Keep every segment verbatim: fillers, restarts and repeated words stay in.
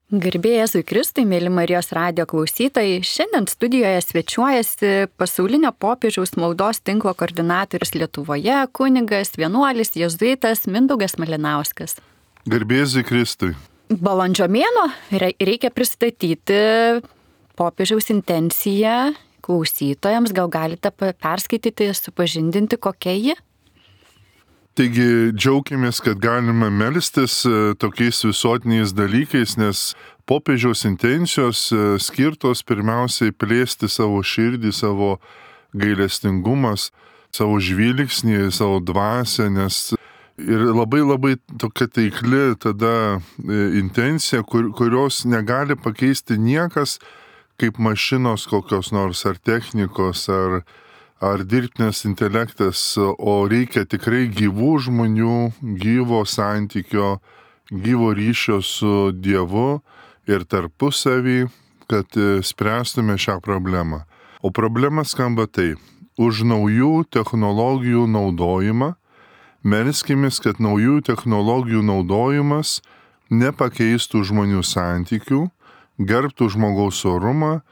Garbė Jėzui Kristui, mėly Marijos radijo klausytojai, šiandien studijoje svečiuojasi pasaulinio popiežiaus maldos tinklo koordinatorius Lietuvoje, kunigas, vienuolis, jėzuitas Mindaugas Malinauskas. Garbė Jėzui Kristui. Balandžio mėnuo reikia pristatyti popiežiaus intenciją klausytojams, gal galite perskaityti, supažindinti, kokia ji? Taigi džiaugiamės, kad galime melstis tokiais visuotiniais dalykais, nes popiežiaus intencijos skirtos pirmiausiai plėsti savo širdį, savo gailestingumas, savo žvilgsnį, savo dvasią, nes ir labai labai tokia taikli tada intencija, kur, kurios negali pakeisti niekas kaip mašinos kokios nors ar technikos, ar ar dirbtinis intelektas, o reikia tikrai gyvų žmonių, gyvo santykio, gyvo ryšio su Dievu ir tarpusavį, kad spręstume šią problemą. O problema skamba taip: už naujų technologijų naudojimą, melskimės, kad naujų technologijų naudojimas nepakeistų žmonių santykių, gerbtų žmogaus orumą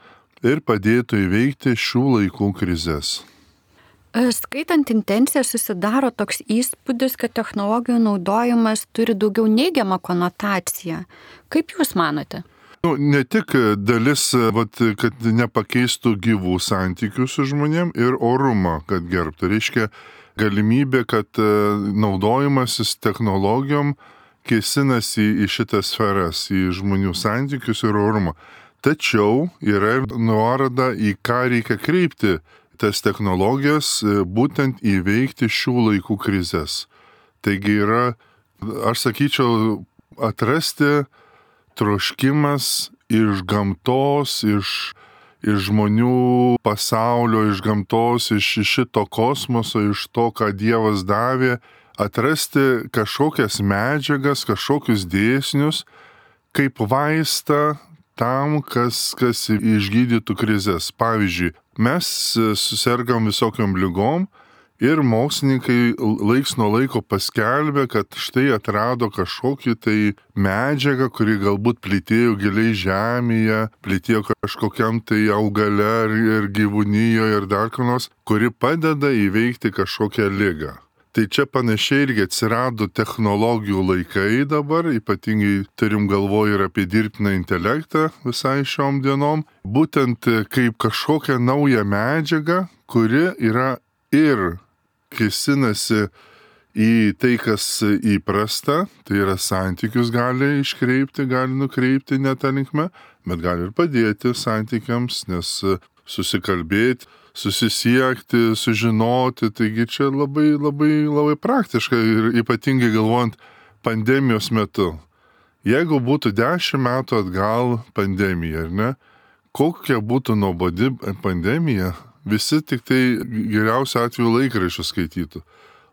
ir padėtų įveikti šių laikų krizes. Skaitant intenciją susidaro toks įspūdis, kad technologijų naudojimas turi daugiau neigiamą konotaciją. Kaip Jūs manote? Nu, ne tik dalis, vat, kad nepakeistų gyvų santykių su žmonėm ir orumą, kad gerbtų. Reiškia galimybė, kad naudojimasis technologijom kėsinasi į šitas sferas, į žmonių santykius ir orumą. Tačiau yra ir nuoroda į ką reikia kreipti tas technologijas, būtent įveikti šių laikų krizes. Taigi yra, aš sakyčiau, atrasti troškimas iš gamtos, iš, iš žmonių pasaulio, iš gamtos, iš šito kosmoso, iš to, ką Dievas davė, atrasti kažkokias medžiagas, kažkokius dėsnius, kaip vaistą tam, kas, kas išgydytų krizes. Pavyzdžiui, mes susirgam visokiom lygom ir mokslininkai laiks nuo laiko paskelbė, kad štai atrado kažkokį tai medžiagą, kuri galbūt plytėjo giliai žemėje, plytėjo kažkokiam tai augale ir gyvūnijoje ir dar ką nors, kuri padeda įveikti kažkokią ligą. Tai čia panašiai irgi atsirado technologijų laikai dabar, ypatingai turim galvoje ir apie dirbtiną intelektą visai šiom dienom, būtent kaip kažkokią naują medžiagą, kuri yra ir kėsinasi į tai, kas įprasta, tai yra santykius gali iškreipti, gali nukreipti ne tą linkmę, bet gali ir padėti santykiams, nes susikalbėti, susisiekti, sužinoti, taigi čia labai, labai, labai praktiška ir ypatingai galvojant pandemijos metu. Jeigu būtų dešimt metų atgal pandemija, ar ne, kokia būtų nuobodi pandemija, visi tik tai geriausiu atveju laikraščius skaitytų.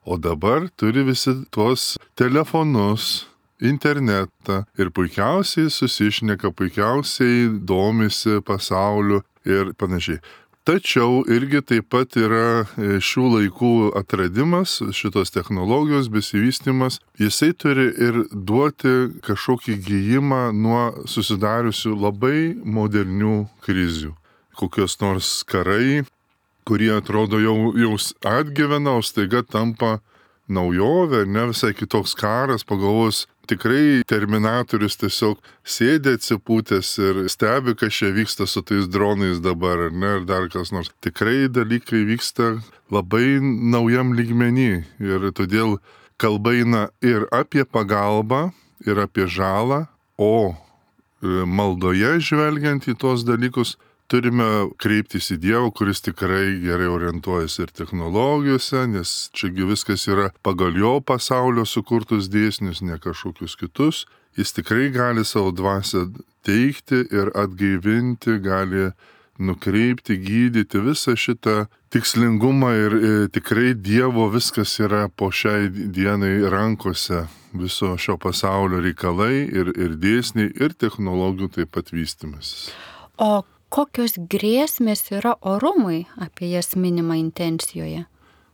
O dabar turi visi tuos telefonus, internetą ir puikiausiai susišneka, puikiausiai domisi pasauliu ir panašiai. Tačiau irgi taip pat yra šių laikų atradimas, šitos technologijos besivystymas, jisai turi ir duoti kažkokį gijimą nuo susidariusių labai modernių krizių. Kokios nors karai, kurie atrodo jau, jau atgyvena, o staiga tampa naujovė, ne visai kitoks karas, pagalvos. Tikrai Terminatorius tiesiog sėdė atsipūtęs ir stebi, kas čia vyksta su tais dronais dabar, ar ne, ar dar kas nors. Tikrai dalykai vyksta labai naujam lygmenį ir todėl kalba eina ir apie pagalbą, ir apie žalą, o maldoje žvelgiant į tuos dalykus, turime kreiptis į Dievą, kuris tikrai gerai orientuojasi ir technologijose, nes čiagi viskas yra pagal jo pasaulio sukurtus dėsnius, ne kažkokius kitus. Jis tikrai gali savo dvasią teikti ir atgaivinti, gali nukreipti, gydyti visą šitą tikslingumą ir, ir tikrai Dievo viskas yra po šiai dienai rankose, viso šio pasaulio reikalai ir, ir dėsniai ir technologijų taip pat vystymasis. O kokios grėsmės yra orumui, apie jas minima intencijoje?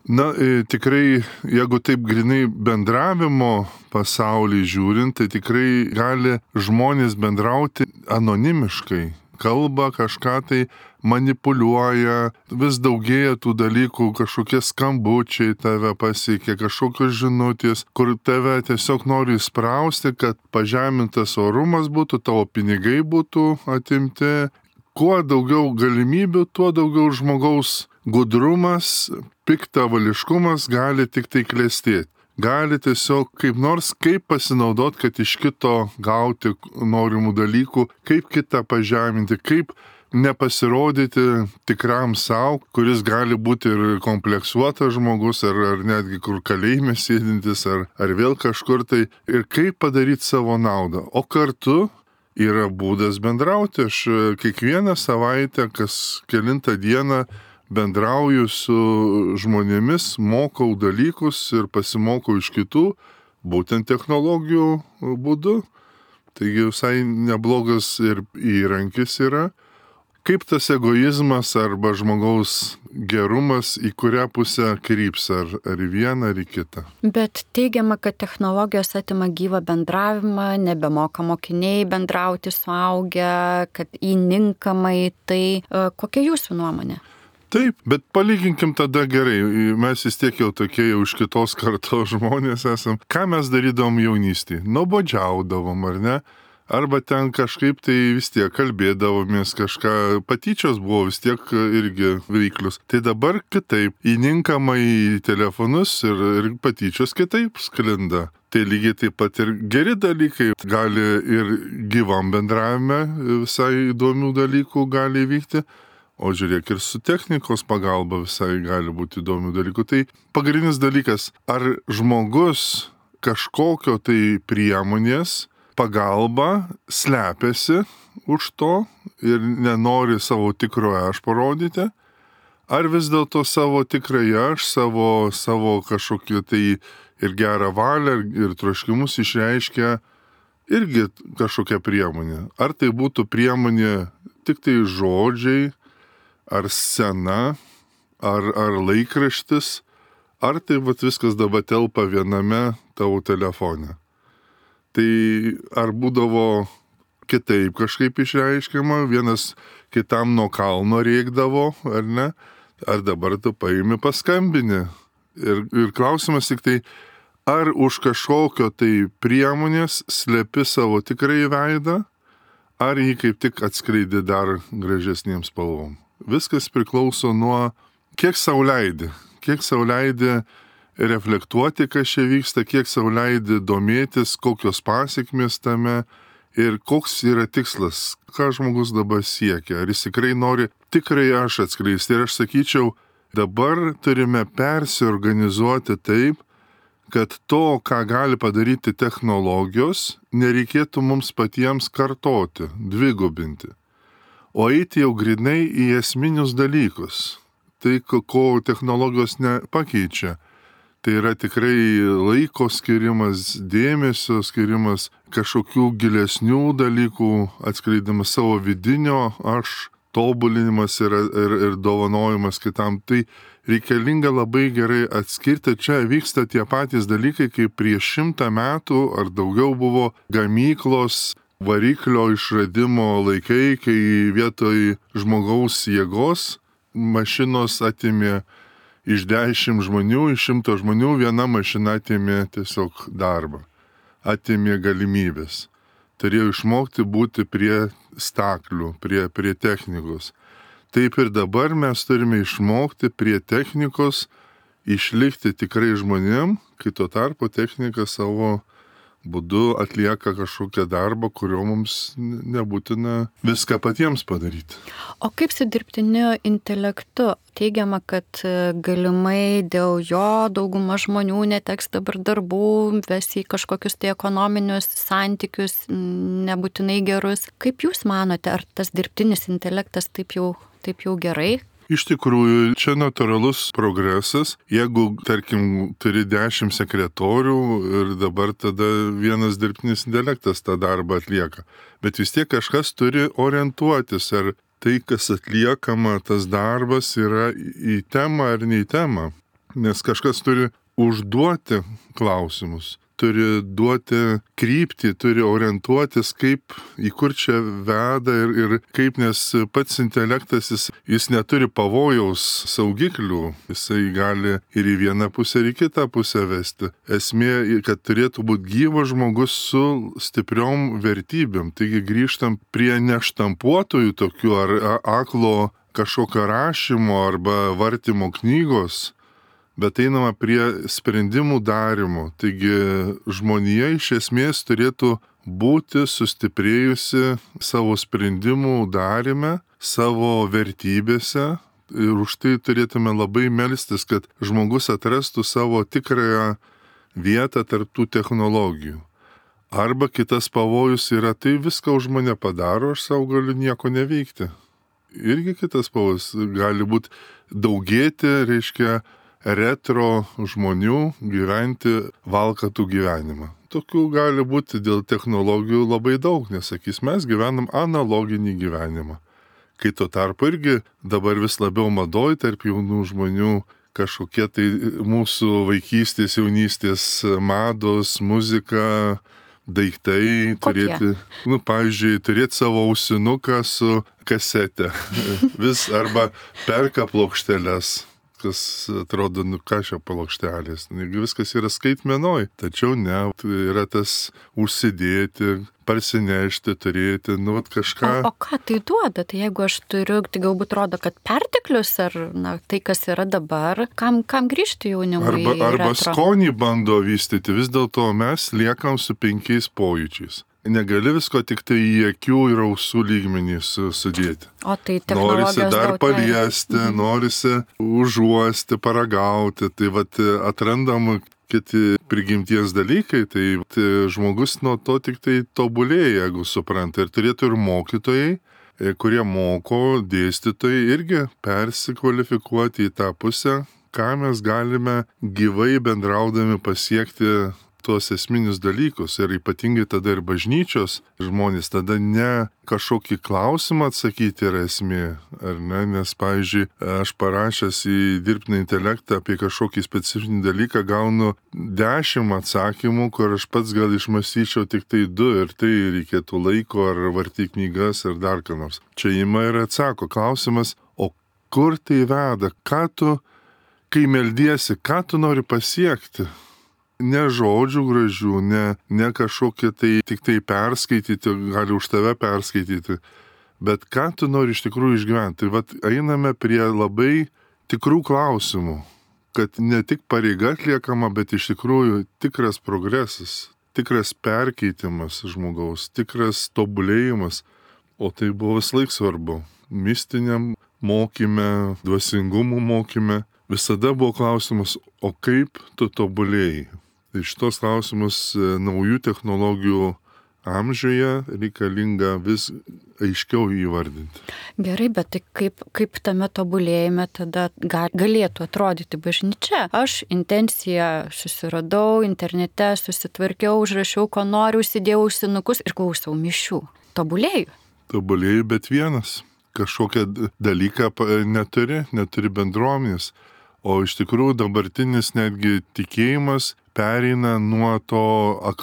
Na, tikrai, jeigu taip grinai bendravimo pasaulį žiūrint, tai tikrai gali žmonės bendrauti anonimiškai. Kalba kažką tai manipuliuoja, vis daugėja tų dalykų, kažkokie skambučiai tave pasiekia, kažkokios žinutės, kur tave tiesiog nori įsprausti, kad pažemintas orumas būtų, tavo pinigai būtų atimti. Kuo daugiau galimybių, tuo daugiau žmogaus gudrumas, piktavališkumas gali tik tai klestėti. Gali tiesiog kaip nors kaip pasinaudoti, kad iš kito gauti norimų dalykų, kaip kitą pažeminti, kaip nepasirodyti tikram savo, kuris gali būti ir kompleksuotas žmogus, ar, ar netgi kur kalėjime sėdintis, ar, ar vėl kažkur tai, ir kaip padaryti savo naudą. O kartu yra būdas bendrauti. Aš kiekvieną savaitę, kas kelintą dieną bendrauju su žmonėmis, mokau dalykus ir pasimokau iš kitų, būtent technologijų būdu. Taigi visai neblogas ir įrankis yra. Kaip tas egoizmas arba žmogaus gerumas į kurią pusę kryps, ar, ar į vieną, ar į kitą. Bet teigiama, kad technologijos atima gyvą bendravimą, nebemoka mokiniai bendrauti suaugę, kad įninkamai. Tai kokia jūsų nuomonė? Taip, bet palyginkim tada gerai, mes vis tiek jau tokie jau iš kitos kartos žmonės esam. Ką mes darydavom jaunystėje? Nuobodžiaudavom, ar ne? Arba ten kažkaip tai vis tiek kalbėdavomės, kažką, patyčios buvo vis tiek irgi veiklius. Tai dabar kitaip, įninkama į telefonus ir, ir patyčios kitaip sklinda. Tai lygiai taip pat ir geri dalykai gali ir gyvam bendravime visai įdomių dalykų gali vykti. O žiūrėk, ir su technikos pagalba visai gali būti įdomių dalykų. Tai pagrindinis dalykas, ar žmogus kažkokio tai priemonės pagalba slepiasi už to ir nenori savo tikrojo aš parodyti, ar vis dėlto savo tikrąją aš, savo, savo kažkokį tai ir gerą valią, ir troškimus išreiškia irgi kažkokia priemonė. Ar tai būtų priemonė tik tai žodžiai, ar scena, ar, ar laikraštis, ar tai vat viskas dabar telpa viename tavo telefone. Tai ar būdavo kitaip kažkaip išreiškiama, vienas kitam nuo kalno rėkdavo, ar ne, ar dabar tu paimi paskambini. Ir, ir klausimas tik tai, ar už kažkokio tai priemonės slepi savo tikrąjį veidą, ar jį kaip tik atskleidi dar gražesniems spalvom. Viskas priklauso nuo, kiek sau leidi, kiek sau leidi reflektuoti, kas čia vyksta, kiek sau leidi domėtis, kokios pasiekmės tame ir koks yra tikslas, ką žmogus dabar siekia. Ar jis tikrai nori tikrai aš atskleisti. Ir aš sakyčiau, dabar turime persiorganizuoti taip, kad to, ką gali padaryti technologijos, nereikėtų mums patiems kartoti, dvigubinti. O eiti jau grinai į esminius dalykus. Tai, ko technologijos nepakeičia. Tai yra tikrai laiko skirimas, dėmesio skirimas, kažkokių gilesnių dalykų atskleidimas, savo vidinio aš, tobulinimas ir, ir, ir dovanojimas kitam. Tai reikalinga labai gerai atskirti. Čia vyksta tie patys dalykai, kaip prieš šimtą metų ar daugiau buvo gamyklos, variklio išradimo laikai, kai vietoj žmogaus jėgos mašinos atimė iš dešimt žmonių, iš šimto žmonių viena mašina atimė tiesiog darbą, atimė galimybės. Turėjo išmokti būti prie staklių, prie, prie technikos. Taip ir dabar mes turime išmokti prie technikos išlikti tikrai žmonėm, kai tuo tarpu technika savo būdu atlieka kažkokią darbą, kurio mums nebūtina viską patiems padaryti. O kaip su dirbtiniu intelektu? Teigiama, kad galimai dėl jo dauguma žmonių neteks dabar darbų, ves į kažkokius tai ekonominius santykius, nebūtinai gerus. Kaip jūs manote, ar tas dirbtinis intelektas taip jau, taip jau gerai? Iš tikrųjų, čia natūralus progresas. Jeigu, tarkim, turi dešimt sekretorių ir dabar tada vienas dirbtinis intelektas tą darbą atlieka. Bet vis tiek kažkas turi orientuotis, ar tai, kas atliekama, tas darbas yra į temą ar ne į temą. Nes kažkas turi užduoti klausimus, turi duoti kryptį, turi orientuotis, kaip į kur čia veda ir, ir kaip, nes pats intelektas, jis, jis neturi pavojaus saugiklių, jisai gali ir į vieną pusę, ir į kitą pusę vesti. Esmė, kad turėtų būti gyvas žmogus su stipriom vertybėm. Taigi grįžtam prie neštampuotojų tokių ar aklo kažkokio rašymo arba vartymo knygos, bet einama prie sprendimų darimo. Taigi žmonija iš esmės turėtų būti sustiprėjusi savo sprendimų darime, savo vertybėse ir už tai turėtume labai melstis, kad žmogus atrastų savo tikrąją vietą tarp tų technologijų. Arba kitas pavojus yra, tai viską už mane padaro, aš savo galiu nieko neveikti. Irgi kitas pavojus gali būti daugėti, reiškia, retro žmonių gyventi valkatų gyvenimą. Tokių gali būti dėl technologijų labai daug, nes, sakys, mes gyvenam analoginį gyvenimą. Kai tuo tarpu irgi dabar vis labiau madoj tarp jaunų žmonių kažkokie tai mūsų vaikystės, jaunystės mados, muzika, daiktai, Kokie? turėti, nu, pavyzdžiui, turėti savo ausinuką su kasete. Vis arba perka plokšteles, kas atrodo, nu ką šio plokštelės. Viskas yra skaitmenoj, tačiau ne, yra tas užsidėti, parsinešti, turėti, nu, vat kažką. O, o ką tai duoda? Tai jeigu aš turiu, tai galbūt rodo, kad perteklius ar na, tai, kas yra dabar, kam, kam grįžti jaunimui? Arba, arba retro? skonį bando vystyti, vis dėlto mes liekam su penkiais pojūčiais. Negali visko tik tai į akių ir ausų lygmenį sudėti. O tai Norisi technologijos dar daug paliesti, leidžia. norisi užuosti, paragauti. Tai vat atrandam kiti prigimties dalykai, tai, tai žmogus nuo to tik tai tobulėja, jeigu supranta. Ir turėtų ir mokytojai, kurie moko, dėstytojai irgi persikvalifikuoti į tą pusę, ką mes galime gyvai bendraudami pasiekti tuos esminius dalykus. Ir ypatingai tada ir bažnyčios žmonės, tada ne kažkokį klausimą atsakyti yra esmė, ar ne, nes, pavyzdžiui, aš parašęs į dirbtinį intelektą apie kažkokį specifinį dalyką gaunu dešimt atsakymų, kur aš pats gal išmąstyčiau tik tai du ir tai reikėtų laiko ar vartyti knygas ar dar ką nors. Čia ima ir atsako klausimas, o kur tai veda, ką tu, kai meldiesi, ką tu nori pasiekti? Ne žodžių gražių, ne, ne kažkokie tai tik tai perskaityti, gali už tave perskaityti, bet ką tu nori iš tikrųjų išgyventi. Tai vat einame prie labai tikrų klausimų, kad ne tik pareiga atliekama, bet iš tikrųjų tikras progresas, tikras perkeitimas žmogaus, tikras tobulėjimas, o tai buvo vis laik svarbu. Mistiniam mokyme, dvasingumo mokyme visada buvo klausimas, o kaip tu tobulėjai? Tai šitos klausimus naujų technologijų amžiuje reikalinga vis aiškiau įvardinti. Gerai, bet tai kaip, kaip tame tobulėjime tada galėtų atrodyti bažnyčia? Aš intenciją susiradau, internete susitvarkiau, užrašiau, ko noriu, užsidėjau ausinukus ir klausau mišių. Tobulėju. Tobulėjai, bet vienas. Kažkokią dalyką neturi, neturi bendruomenės. O iš tikrųjų dabartinis netgi tikėjimas pereina nuo to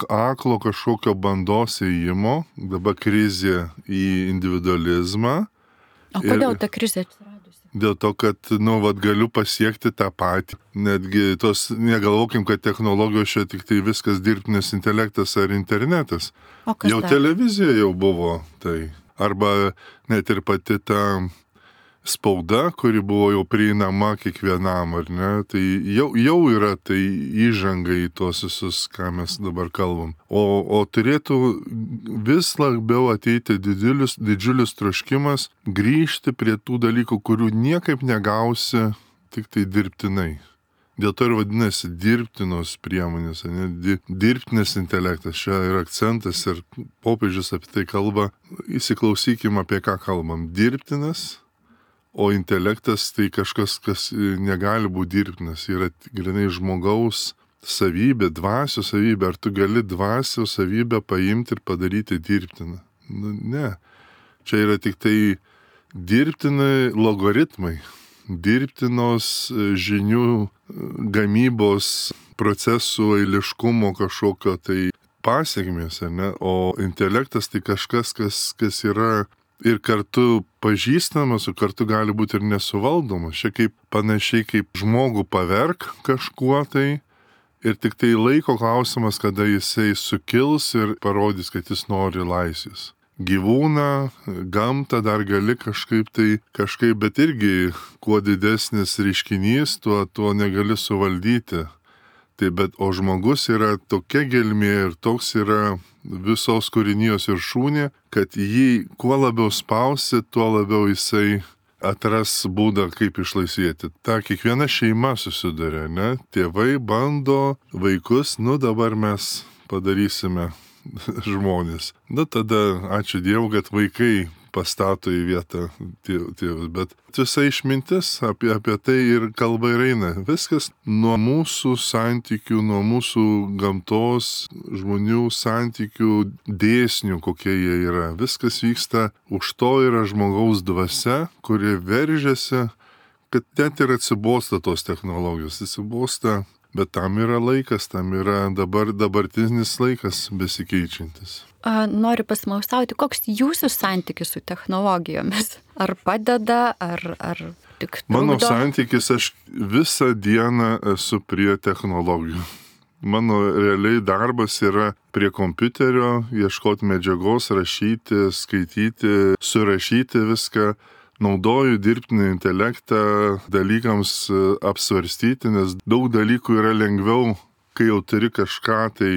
aklo kažkokio bandos ėjimo, dabar krizė į individualizmą. O kodėl ta krizė atsiradusi? Dėl to, kad, nu, vat, galiu pasiekti tą patį. Netgi tos, negalvokim, kad technologijos čia tik tai viskas dirbtinis intelektas ar internetas. O kas jau dar? Televizija jau buvo tai. Arba net ir pati ta spauda, kuri buvo jau prieinama kiekvienam, ar ne, tai jau, jau yra tai įžanga į tuos visus, ką mes dabar kalbam. O, o turėtų vis labiau ateiti didžiulis, didžiulis troškimas grįžti prie tų dalykų, kurių niekaip negausi, tik tai dirbtinai. Dėl to ir vadinasi dirbtinos priemonės, ne, dirbtinis intelektas, čia yra akcentas ir popiežius apie tai kalba. Įsiklausykim, apie ką kalbam. Dirbtinas, o intelektas tai kažkas, kas negali būti dirbtinas, yra grinai žmogaus savybė, dvasios savybė. Ar tu gali dvasios savybę paimti ir padaryti dirbtiną? Nu, ne. Čia yra tik tai dirbtinai logaritmai. dirbtinos žinių gamybos procesų eiliškumo kažkokio tai pasiekmės, ar ne? O intelektas tai kažkas, kas, kas yra ir kartu pažįstamas, o kartu gali būti ir nesuvaldomas. Čia kaip panašiai kaip žmogų paverk kažkuo tai ir tik tai laiko klausimas, kada jisai sukils ir parodys, kad jis nori laisvės. Gyvūną, gamtą dar gali kažkaip tai, kažkaip, bet irgi kuo didesnis reiškinys, tuo, tuo negali suvaldyti. Tai bet, o žmogus yra tokia gelmė ir toks yra visos kūrinijos viršūnė, kad jį kuo labiau spausi, tuo labiau jisai atras būdą, kaip išlaisvėti. Ta kiekviena šeima susiduria, ne? Tėvai bando vaikus, nu dabar mes padarysime žmonės. Na tada ačiū Dievui, kad vaikai pastato į vietą tėvus, bet visa išmintis apie, apie tai ir kalba ir eina. Viskas nuo mūsų santykių, nuo mūsų gamtos, žmonių santykių dėsnių, kokie jie yra. Viskas vyksta, už to yra žmogaus dvasia, kuri veržiasi, kad net ir atsibosta tos technologijos, atsibosta, bet tam yra laikas, tam yra dabar dabartinis laikas besikeičiantis. Noriu pasmaustauti, koks jūsų santykis su technologijomis? Ar padeda, ar, ar tik trukdo? Mano santykis, aš visą dieną esu prie technologijų. Mano realiai darbas yra prie kompiuterio, ieškoti medžiagos, rašyti, skaityti, surašyti viską. Naudoju dirbtinį intelektą dalykams apsvarstyti, nes daug dalykų yra lengviau, kai jau turi kažką tai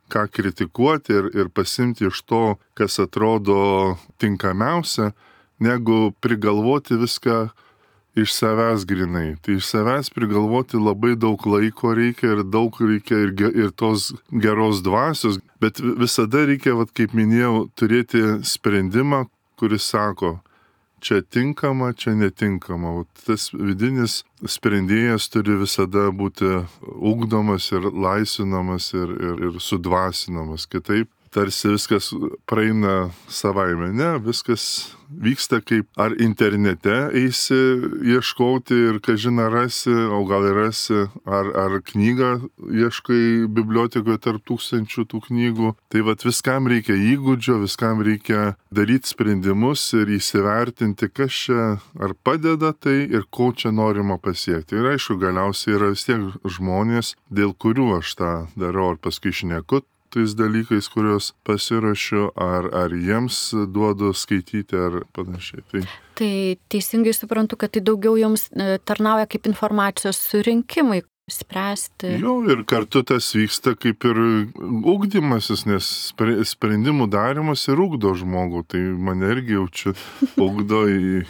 ką kritikuoti ir, ir pasimti iš to, kas atrodo tinkamiausia, negu prigalvoti viską iš savęs grinai. Tai iš savęs prigalvoti labai daug laiko reikia ir daug reikia ir, ir tos geros dvasios, bet visada reikia, vat, kaip minėjau, turėti sprendimą, kuris sako, čia tinkama, čia netinkama. O tas vidinis sprendėjas turi visada būti ugdomas ir laisvinamas ir, ir, ir sudvasinamas. Kitaip tarsi viskas praeina savaime. Ne, viskas vyksta kaip ar internete eisi ieškoti ir kažina rasi, o gal ir rasi, ar, ar knygą ieškai bibliotekoje tarp tūkstančių tų knygų. Tai vat viskam reikia įgūdžio, viskam reikia daryti sprendimus ir įsivertinti, kas čia ar padeda tai ir ko čia norima pasiekti. Ir aišku, galiausiai yra vis tiek žmonės, dėl kurių aš tą darau, ar paskui šneku tais dalykais, kuriuos pasiruošiu, ar, ar jiems duodu skaityti, ar panašiai. Tai... tai teisingai suprantu, kad tai daugiau jums tarnauja kaip informacijos surinkimai, spręsti. Jo, ir kartu tas vyksta kaip ir ugdymasis, nes sprendimų darimas ir ugdo žmogų. Tai mane irgi jaučiu, ugdo,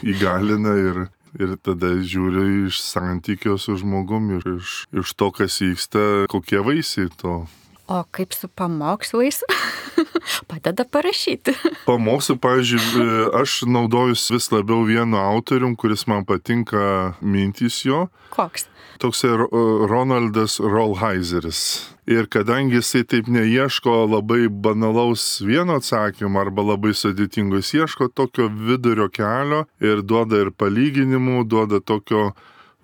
įgalina ir... Ir tada žiūriu iš santykio su žmogum ir iš, iš to, kas vyksta, kokie vaisiai to. O kaip su pamokslais? Padeda parašyti. Pamokslų, pavyzdžiui, aš naudojus vis labiau vienu autorium, kuris man patinka mintys jo. Koks? Toksai Ronaldas Rolheiseris. Ir kadangi jisai taip neieško labai banalaus vieno atsakymo arba labai sudėtingo, jis ieško tokio vidurio kelio ir duoda ir palyginimų, duoda tokio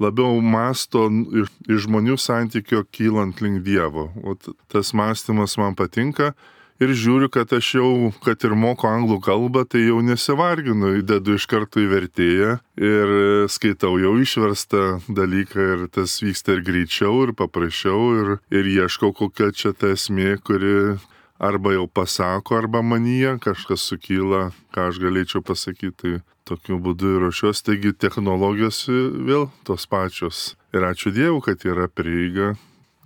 labiau masto iš, iš žmonių santykio kylant link Dievo. O tas mąstymas man patinka ir žiūriu, kad aš jau, kad ir moku anglų kalbą, tai jau nesivarginu, įdedu iš karto į vertėją ir skaitau jau išverstą dalyką ir tas vyksta ir greičiau, ir paprasčiau, ir, ir ieškau, kokia čia ta esmė, kuri arba jau pasako, arba manyje kažkas sukyla, ką aš galėčiau pasakyti. Tai tokiu būdu ir ruošiuos, taigi technologijos vėl tos pačios. Ir ačiū Dievui, kad yra prieiga,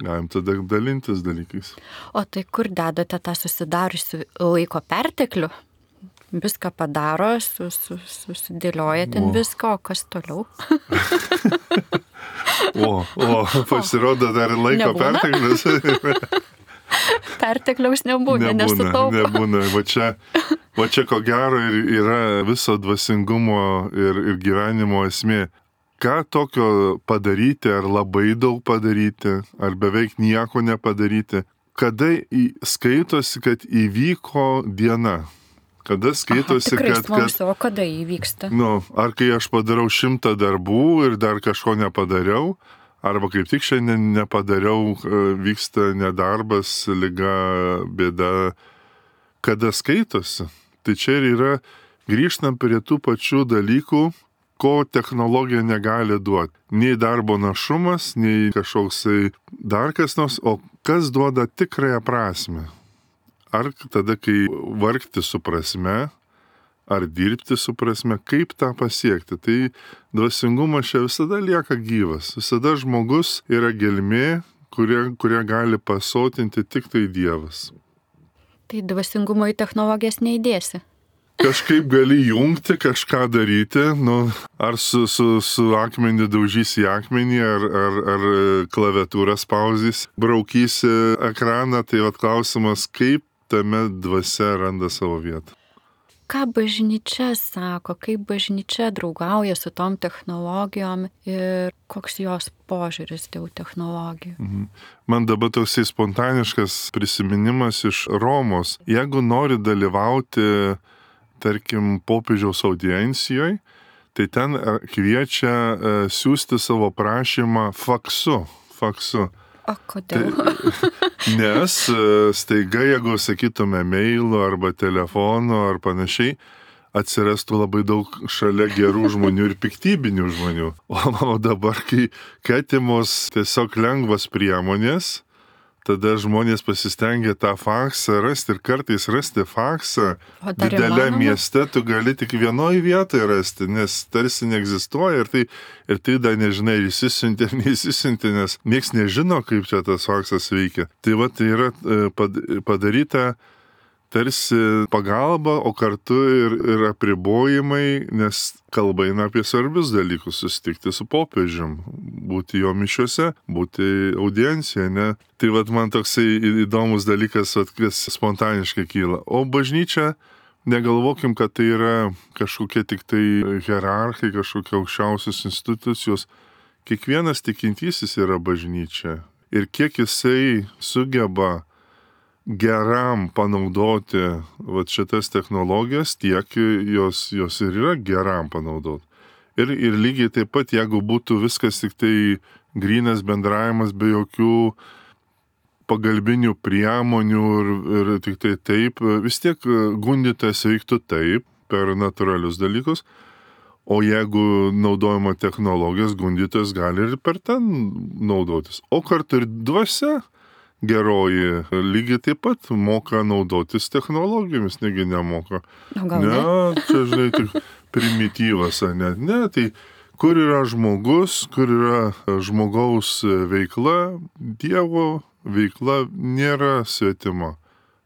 galim tada dalintis dalykais. O tai kur dedate tą susidariusių laiko perteklių? Viską padaro, susidėlioja ten viską, o kas toliau? o, o, pasirodo dar laiko perteklius. Pertekliaus nebūna, nesutaupo. Nebūna, va čia, va čia ko gero ir yra viso dvasingumo ir, ir gyvenimo esmė. Ką tokio padaryti, ar labai daug padaryti, ar beveik nieko nepadaryti, kada į, skaitosi, kad įvyko diena, Kada skaitosi, Aha, tikrai kad... smalsu, kad o kada įvyksta? nu, ar kai aš padarau šimtą darbų ir dar kažko nepadariau, arba kaip tik šiandien nepadariau, vyksta nedarbas, liga, bėda, kada skaitosi. Tai čia ir yra, grįžtam prie tų pačių dalykų, ko technologija negali duoti. Nei darbo našumas, nei kažkoksai dar kas nors, o kas duoda tikrąją prasme. Ar tada, kai vargti su prasme, ar dirbti su prasme, kaip tą pasiekti. Tai dvasingumas čia visada lieka gyvas. Visada žmogus yra gelmė, kurie, kurie gali pasotinti tik tai Dievas. Tai dvasingumo į technologijas neįdėsi. Kažkaip gali jungti, kažką daryti, nu, ar su, su, su akmenį daužysi į akmenį, ar, ar, ar klaviatūrą spausys, braukysi ekraną, tai vat klausimas, kaip tame dvasia randa savo vietą. Ką bažnyčia sako, kaip bažnyčia draugauja su tom technologijom ir koks jos požiūris dėl technologijų? Mhm. Man dabar toksai spontaniškas prisiminimas iš Romos. Jeigu nori dalyvauti, tarkim, popiežiaus audiencijoje, tai ten kviečia siūsti savo prašymą faksu. faksu. O kodėl? Tai, nes staiga, jeigu sakytume mailu arba telefonu ar panašiai, atsirastų labai daug šalia gerų žmonių ir piktybinių žmonių. O dabar, kai atimos tiesiog lengvas priemonės, tada žmonės pasistengia tą faksą rasti ir kartais rasti faksą didelė mieste, tu gali tik vienoje vietoje rasti, nes tarsi neegzistuoja ir tai, ir tai dar nežinai, ir įsisiuntė, neįsisiuntė, nes nieks nežino, kaip čia tas faksas veikia. Tai va, tai yra padaryta tarsi pagalba, o kartu ir, ir apribojimai, nes kalba eina apie svarbius dalykus, susitikti su popiežium, būti jo mišiuose, būti audiencijoje, ne? Tai vat man toksai įdomus dalykas, vat, kas spontaniškai kyla. O bažnyčia, negalvokim, kad tai yra kažkokie tik tai hierarchai, kažkokie aukščiausios institucijos. Kiekvienas tikintysis yra bažnyčia. Ir kiek jisai sugeba geram panaudoti vat šitas technologijas, tiek jos, jos ir yra geram panaudoti. Ir, ir lygiai taip pat, jeigu būtų viskas tik tai grynas bendravimas be jokių pagalbinių priemonių ir, ir tik tai taip, vis tiek gundytas veiktų taip per natūralius dalykus, o jeigu naudojama technologijos, gundytas gali ir per ten naudotis. O kartu ir dvasia geroji lygiai taip pat moka naudotis technologijomis, negi nemoka. Ne, ne, čia žinai, tik primityvas, ne, ne, tai kur yra žmogus, kur yra žmogaus veikla, Dievo veikla nėra svetima.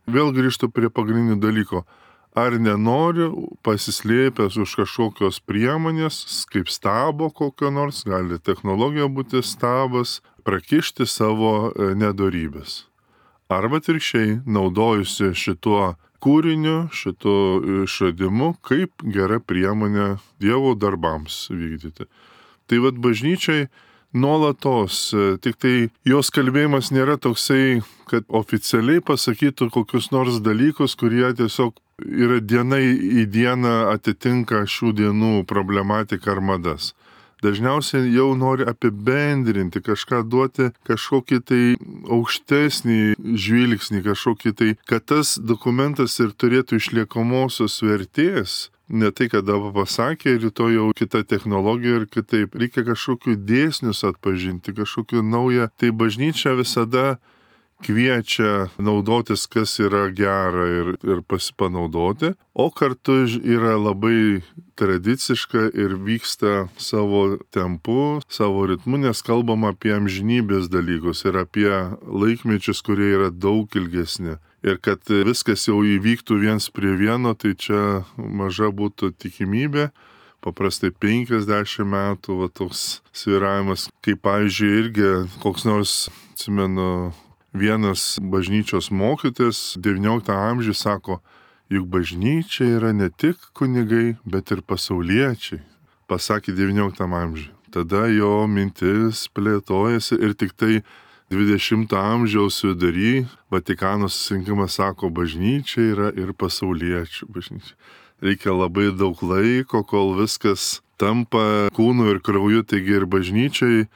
Vėl grįžtu prie pagrindinių dalyko. Ar nenori pasislėpęs už kažkokios priemonės, kaip stabo kokio nors, gali technologija būti stabas, prakišti savo nedorybės. Arba atvirkščiai naudojusi šituo kūriniu, šituo išradimu, kaip gera priemonė Dievo darbams vykdyti. Tai vad bažnyčiai nuolatos, tik tai jos kalbėjimas nėra toksai, kad oficialiai pasakytų kokius nors dalykus, kurie tiesiog yra diena į dieną atitinka šių dienų problematiką ar madas. Dažniausiai jau nori apibendrinti, kažką duoti, kažkokį tai aukštesnį žvilgsnį, kažkokį tai, kad tas dokumentas ir turėtų išliekamosios vertės. Ne tai, kad dabar pasakė, rytoj jau kita technologija ir kitaip. Reikia kažkokių dėsnius atpažinti, kažkokių naują. Tai bažnyčia visada kviečia naudotis, kas yra gera ir, ir pasipanaudoti, o kartu yra labai tradiciška ir vyksta savo tempu, savo ritmu, nes kalbam apie amžinybės dalykus ir apie laikmečius, kurie yra daug ilgesni. Ir kad viskas jau įvyktų viens prie vieno, tai čia maža būtų tikimybė. Paprastai penkiasdešimt metų, va toks sviravimas, kaip pavyzdžiui irgi koks nors, atsimenu, vienas bažnyčios mokytojas devynioliktam amžiuje sako, juk bažnyčia yra ne tik kunigai, bet ir pasauliečiai. Pasakė devynioliktam amžiuje. Tada jo mintis plėtojasi ir tik tai dvidešimto amžiaus vidury Vatikano susirinkimas sako, bažnyčia yra ir pasauliečių bažnyčia. Reikia labai daug laiko, kol viskas tampa kūnu ir krauju, taigi ir bažnyčiai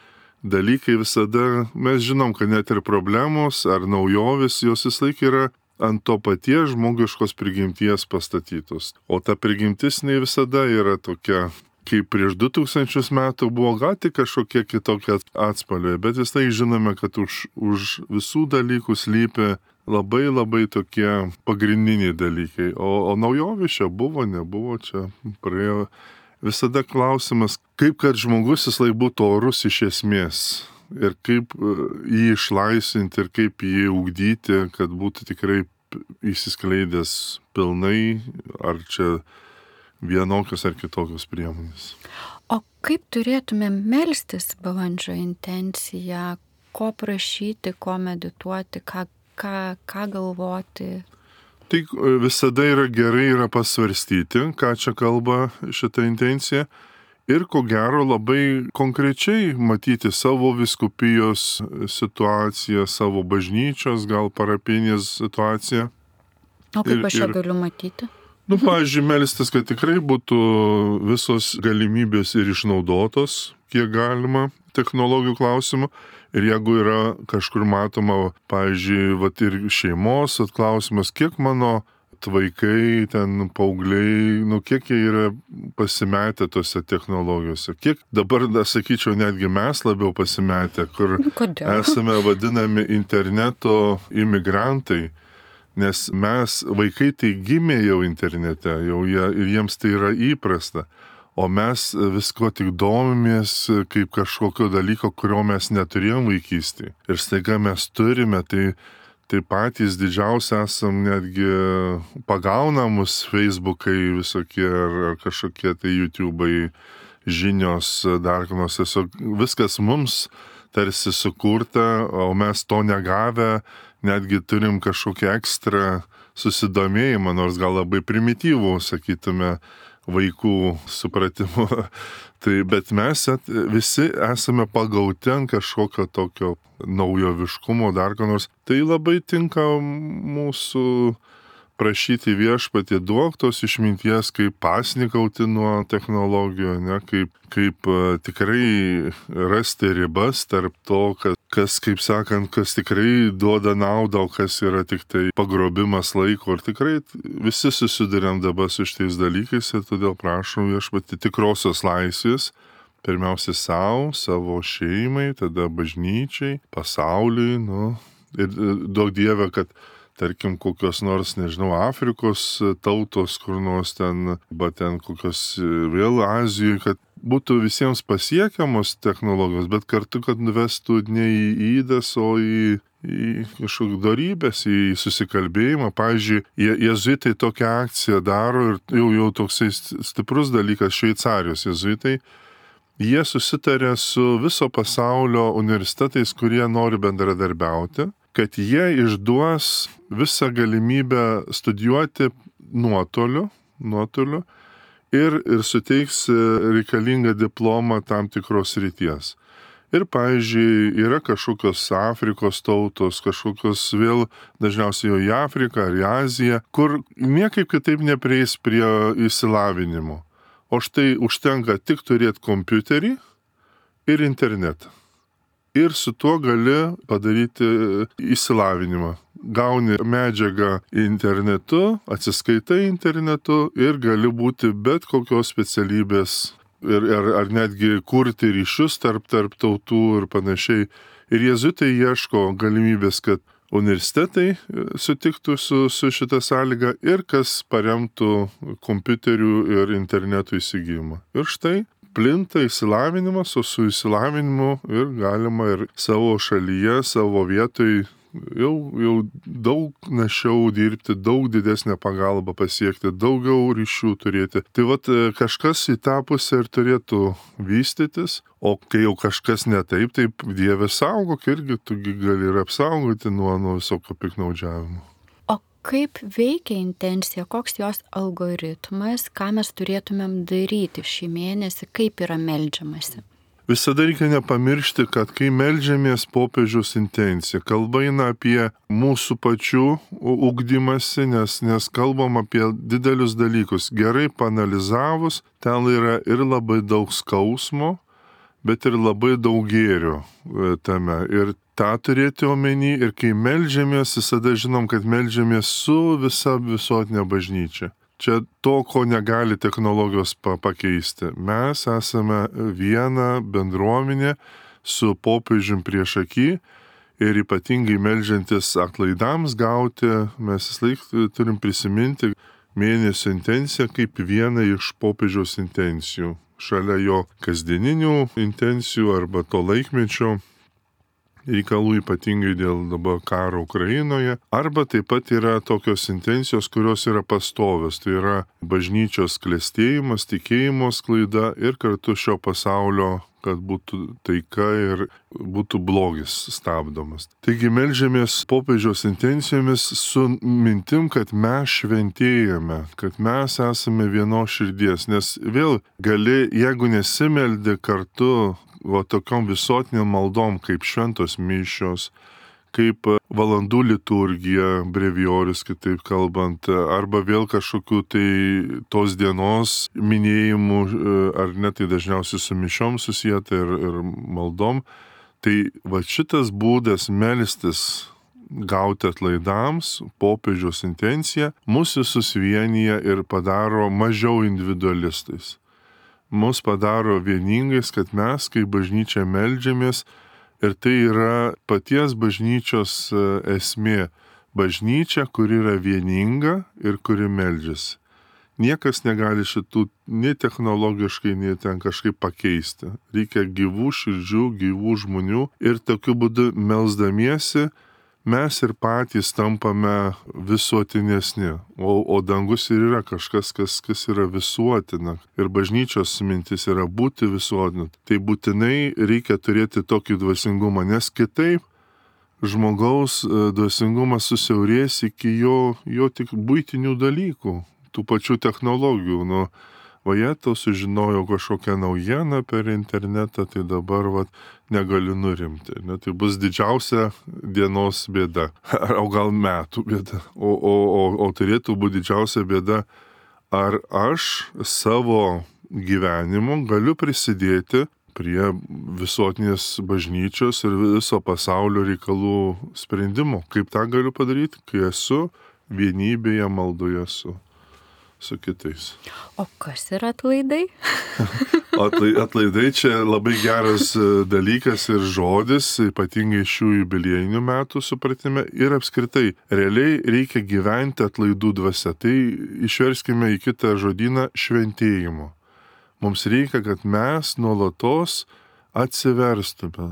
dalykai visada, mes žinom, kad net ir problemos ar naujovės, jos vis laik yra ant to paties žmogiškos prigimties pastatytos. O ta prigimtis ne visada yra tokia, kaip prieš du tūkstančius metų buvo, gal tik kažkokie kitokie atspalviai, bet vis tai žinome, kad už, už visų dalykų slypi labai labai tokie pagrindiniai dalykai. O, o naujovė čia buvo, nebuvo, čia praėjo. Visada klausimas, kaip kad žmogus vis laik būtų orus iš esmės ir kaip jį išlaisvinti ir kaip jį ugdyti, kad būtų tikrai įsiskleidęs pilnai, ar čia vienokios ar kitokios priemonės. O kaip turėtumėm melstis balandžio intenciją, ko prašyti, ko medituoti, ką, ką, ką galvoti? Tai visada yra gerai yra pasvarstyti, ką čia kalba šitą intenciją ir ko gero labai konkrečiai matyti savo vyskupijos situaciją, savo bažnyčios, gal parapinės situaciją. O kaip ir, aš ją ir... galiu matyti? Nu, pavyzdžiui, melstis, kad tikrai būtų visos galimybės ir išnaudotos, kiek galima, technologijų klausimų. Ir jeigu yra kažkur matoma, pavyzdžiui, vat ir šeimos atklausimas, kiek mano vaikai, ten paaugliai, nu, kiek jie yra pasimetę tose technologijose. Kiek dabar, da, sakyčiau, netgi mes labiau pasimetę, kur Kodėl? esame vadinami interneto imigrantai. Nes mes, vaikai tai gimė jau internete, jau jie, ir jiems tai yra įprasta. O mes visko tik domimės kaip kažkokio dalyko, kurio mes neturėjom vaikystėje. Ir staiga mes turime, tai, tai patys didžiausi esam, netgi pagauna mus Facebookai visokie ar, ar kažkokie tai YouTube'ai, žinios, dar kanos. Tiesiog viskas mums tarsi sukurta, o mes to negavę, netgi turim kažkokią ekstra susidomėjimą, nors gal labai primityvų, sakytume, vaikų supratimu. Tai, bet mes at, visi esame pagauti ant kažkokio tokio naujoviškumo, dar ką nors. Tai labai tinka mūsų prašyti viešpatį, duok tos išminties, kaip pasnikauti nuo technologijų, ne, kaip, kaip tikrai rasti ribas tarp to, kas, kas, kaip sakant, kas tikrai duoda naudą, o kas yra tik tai pagrobimas laiko. Ir tikrai visi susiduriam dabar su šitais dalykais ir todėl prašom viešpatį tikrosios laisvės, pirmiausia savo, savo šeimai, tada bažnyčiai, pasauliui, nu, ir duok Dieve, kad tarkim, kokios nors, nežinau, Afrikos tautos, kur nors ten, bet ten kokios vėl Azijoje, kad būtų visiems pasiekiamos technologijos, bet kartu, kad nuvestų ne į įdas, o į, į kažkokį darybės, į susikalbėjimą. Pavyzdžiui, jezuitai tokią akciją daro ir jau, jau toksai stiprus dalykas, Šveicarijos jezuitai. Jie susitarė su viso pasaulio universitetais, kurie nori bendradarbiauti, kad jie išduos visą galimybę studijuoti nuotoliu, nuotoliu ir, ir suteiks reikalingą diplomą tam tikros ryties. Ir, pavyzdžiui, yra kažkokios Afrikos tautos, kažkokios vėl dažniausiai jau į Afriką ar į Aziją, kur niekaip kitaip neprieis prie išsilavinimo. O štai užtenka tik turėti kompiuterį ir internetą. Ir su tuo gali padaryti išsilavinimą. Gauni medžiagą internetu, atsiskaitai internetu ir gali būti bet kokios specialybės ir, ar, ar netgi kurti ryšius tarp, tarp tautų ir panašiai. Ir jezuitai ieško galimybės, kad universitetai sutiktų su, su šitą sąlygą ir kas paremtų kompiuterių ir internetų įsigijimą. Ir štai plinta išsilavinimas, o su išsilavinimu ir galima ir savo šalyje, savo vietoj jau, jau daug našiau dirbti, daug didesnę pagalbą pasiekti, daugiau ryšių turėti. Tai vat kažkas į tą pusę ir turėtų vystytis, o kai jau kažkas ne taip, taip Dieve saugok irgi, tu gali ir apsaugoti nuo, nuo visokio piknaudžiavimo. Kaip veikia intencija, koks jos algoritmas, ką mes turėtumėm daryti šį mėnesį, kaip yra meldžiamasi? Visada reikia nepamiršti, kad kai meldžiamės popiežiaus intencija, kalba eina apie mūsų pačių ugdymasi, nes, nes kalbam apie didelius dalykus. Gerai panalizavus, ten yra ir labai daug skausmo, bet ir labai daug gėrio tame. Ir tą turėti omeny, ir kai meldžiamės, visada žinom, kad meldžiamės su visa visuotinė bažnyčia. Čia to, ko negali technologijos pakeisti. Mes esame viena bendruomenė su popiežium prieš akį ir ypatingai meldžiantis atlaidams gauti, mes vis laik turim prisiminti mėnesio intenciją kaip vieną iš popiežiaus intencijų. Šalia jo kasdieninių intencijų arba to laikmečio reikalų, ypatingai dėl dabar karo Ukrainoje, arba taip pat yra tokios intencijos, kurios yra pastovios, tai yra bažnyčios klestėjimas, tikėjimo sklaida ir kartu šio pasaulio, kad būtų taika ir būtų blogis stabdomas. Taigi meldžiamės popiežiaus intencijomis su mintim, kad mes šventėjame, kad mes esame vienos širdies, nes vėl gali, jeigu nesimeldi kartu va tokiom visuotiniam maldom, kaip šventos mišios, kaip valandų liturgija, brevijorius, kitaip kalbant, arba vėl kažkokių tai tos dienos minėjimų, ar net tai dažniausiai su mišiom susijęta ir, ir maldom. Tai va šitas būdas melstis, gauti atlaidams, popiežiaus intencija, mus visus vienyje ir padaro mažiau individualistais. Mus padaro vieningais, kad mes, kaip bažnyčia, meldžiamės, ir tai yra paties bažnyčios esmė. Bažnyčia, kuri yra vieninga ir kuri meldžiasi. Niekas negali šitų nei technologiškai, nei ten kažkaip pakeisti. Reikia gyvų širdžių, gyvų žmonių, ir tokiu būdu melsdamiesi mes ir patys tampame visuotinesni, o, o dangus ir yra kažkas, kas, kas yra visuotina. Ir bažnyčios mintis yra būti visuotinu. Tai būtinai reikia turėti tokį dvasingumą, nes kitaip žmogaus dvasingumas susiaurės iki jo, jo tik buitinių dalykų, tų pačių technologijų. Nu, o jie to sužinojo kažkokią naujieną per internetą, tai dabar vat, negaliu nurimti. Ne, tai bus didžiausia dienos bėda, o gal metų bėda. O, o, o, o turėtų būti didžiausia bėda, ar aš savo gyvenimu galiu prisidėti prie visuotinės bažnyčios ir viso pasaulio reikalų sprendimo. Kaip tą galiu padaryti, kai esu vienybėje maldoje su su kitais. O kas yra atlaidai? Atlaidai čia labai geras dalykas ir žodis, ypatingai šių jubiliejinių metų supratime, ir apskritai realiai reikia gyventi atlaidų dvasia. Tai išverskime į kitą žodyną šventėjimo. Mums reikia, kad mes nuolatos atsiverstume,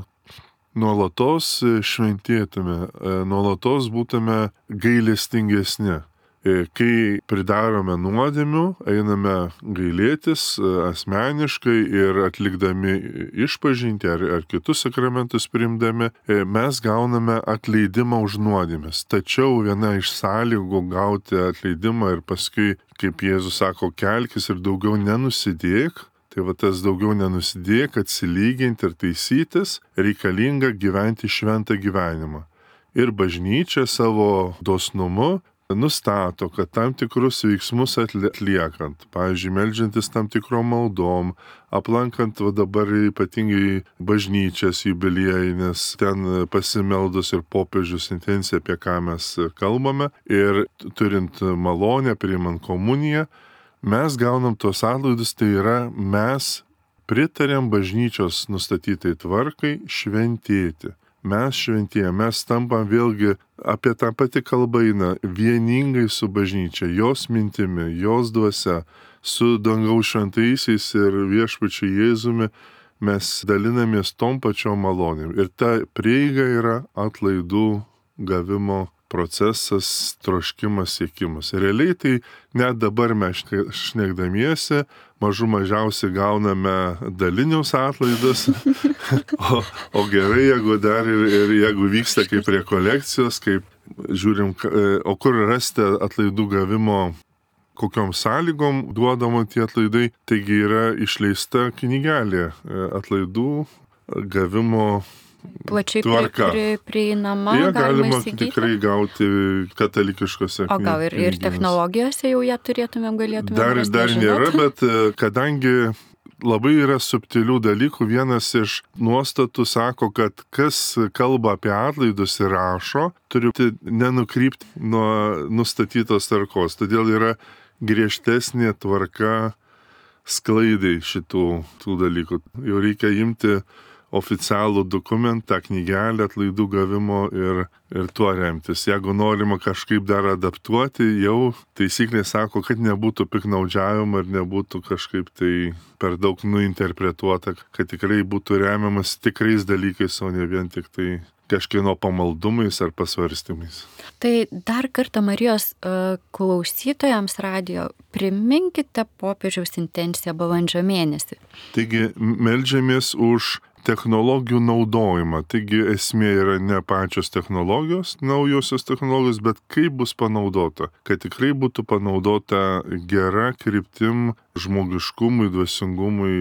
nuolatos šventėtume, nuolatos būtume gailestingesni. Kai pridarome nuodėmių, einame gailėtis asmeniškai ir atlikdami išpažintį ar, ar kitus sakramentus priimdami, mes gauname atleidimą už nuodėmes. Tačiau viena iš sąlygų gauti atleidimą ir paskui, kaip Jėzus sako, kelkis ir daugiau nenusidėk, tai va tas daugiau nenusidėk, atsilyginti ir taisytis, reikalinga gyventi šventą gyvenimą. Ir bažnyčia savo dosnumu nustato, kad tam tikrus veiksmus atliekant, pavyzdžiui, meldžiantis tam tikrom maldom, aplankant va dabar ypatingai bažnyčias jubiliejines, ten pasimeldus ir popiežius intenciją, apie ką mes kalbame, ir turint malonę, priimant komuniją, mes gaunam tos atlaidus, tai yra mes pritarėm bažnyčios nustatytai tvarkai šventėti. Mes šventėje, mes tampam vėlgi apie tą patį kalbą eina vieningai su bažnyčia, jos mintimi, jos dvasia, su dangaus šventaisiais ir viešpačiu Jėzumi mes dalinamės tom pačiom malonėm. Ir ta prieiga yra atlaidų gavimo procesas, troškimas, siekimas. Realiai tai net dabar mes šnekdamiesi, mažų mažiausiai gauname dalinius atlaidus, o, o gerai, jeigu dar ir, ir jeigu vyksta kaip rekolekcijos, kaip žiūrim, o kur rasti atlaidų gavimo kokiom sąlygom duodama tie atlaidai. Taigi yra išleista knygelė atlaidų gavimo plačiai tvarka. Pri, prieinama, Jie galima galima įsigyti. tikrai gauti katalikiškose. O gal ir, ir technologijose jau ją turėtumėm, galėtumėm Dar, rasti, dar nežinot? nėra, bet kadangi labai yra subtilių dalykų, vienas iš nuostatų sako, kad kas kalba apie atlaidus ir rašo, turi nenukrypti nuo nustatytos tvarkos. Todėl yra griežtesnė tvarka sklaidai šitų tų dalykų. Jau reikia imti oficialų dokumentą, knygelę atlaidų gavimo ir, ir tuo remtis. Jeigu norima kažkaip dar adaptuoti, jau taisyklė sako, kad nebūtų piknaudžiavimo ir nebūtų kažkaip tai per daug nuinterpretuota, kad tikrai būtų remiamas tikrais dalykais, o ne vien tik tai kažkieno pamaldumais ar pasvarstymais. Tai dar kartą Marijos uh, klausytojams radijo priminkite popiežiaus intenciją balandžio mėnesį. Taigi meldžiamės už technologijų naudojimą. Taigi esmė yra ne pačios technologijos, naujosios technologijos, bet kaip bus panaudota. Kad tikrai būtų panaudota gera kryptim žmogiškumui, dvasingumui,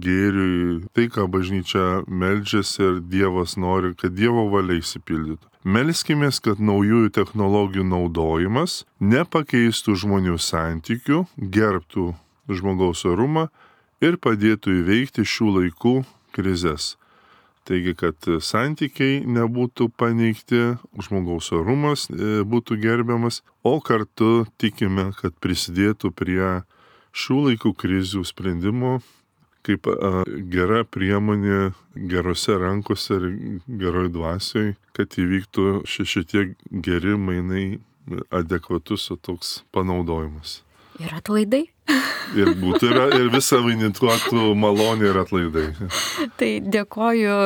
gėriui. Tai, ką bažnyčia meldžiasi ir Dievas nori, kad Dievo valia išsipildytų. Melskimės, kad naujųjų technologijų naudojimas nepakeistų žmonių santykių, gerbtų žmogaus orumą ir padėtų įveikti šių laikų krizės. Taigi, kad santykiai nebūtų paneigti, žmogaus orumas būtų gerbiamas, o kartu tikime, kad prisidėtų prie šių laikų krizių sprendimo kaip a, gera priemonė gerose rankose ir geroj dvasioj, kad įvyktų šitie geri mainai adekvatus toks panaudojimas. Ir atlaidai. Ir būtų ir, ir visą vainituotų malonė ir atlaidai. Tai dėkoju,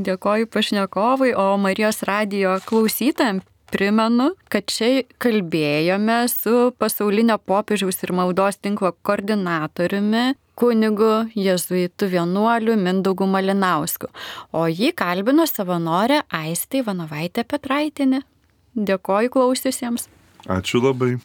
dėkoju pašnekovui, o Marijos radijo klausytojams primenu, kad čia kalbėjome su pasaulinio popiežiaus ir maldos tinklo koordinatoriumi, kunigu jėzuitu vienuoliu Mindaugu Malinausku, o jį kalbino savanorė Aistė Ivanovaitė Petraitienė. Dėkoju klausiusiems. Ačiū labai.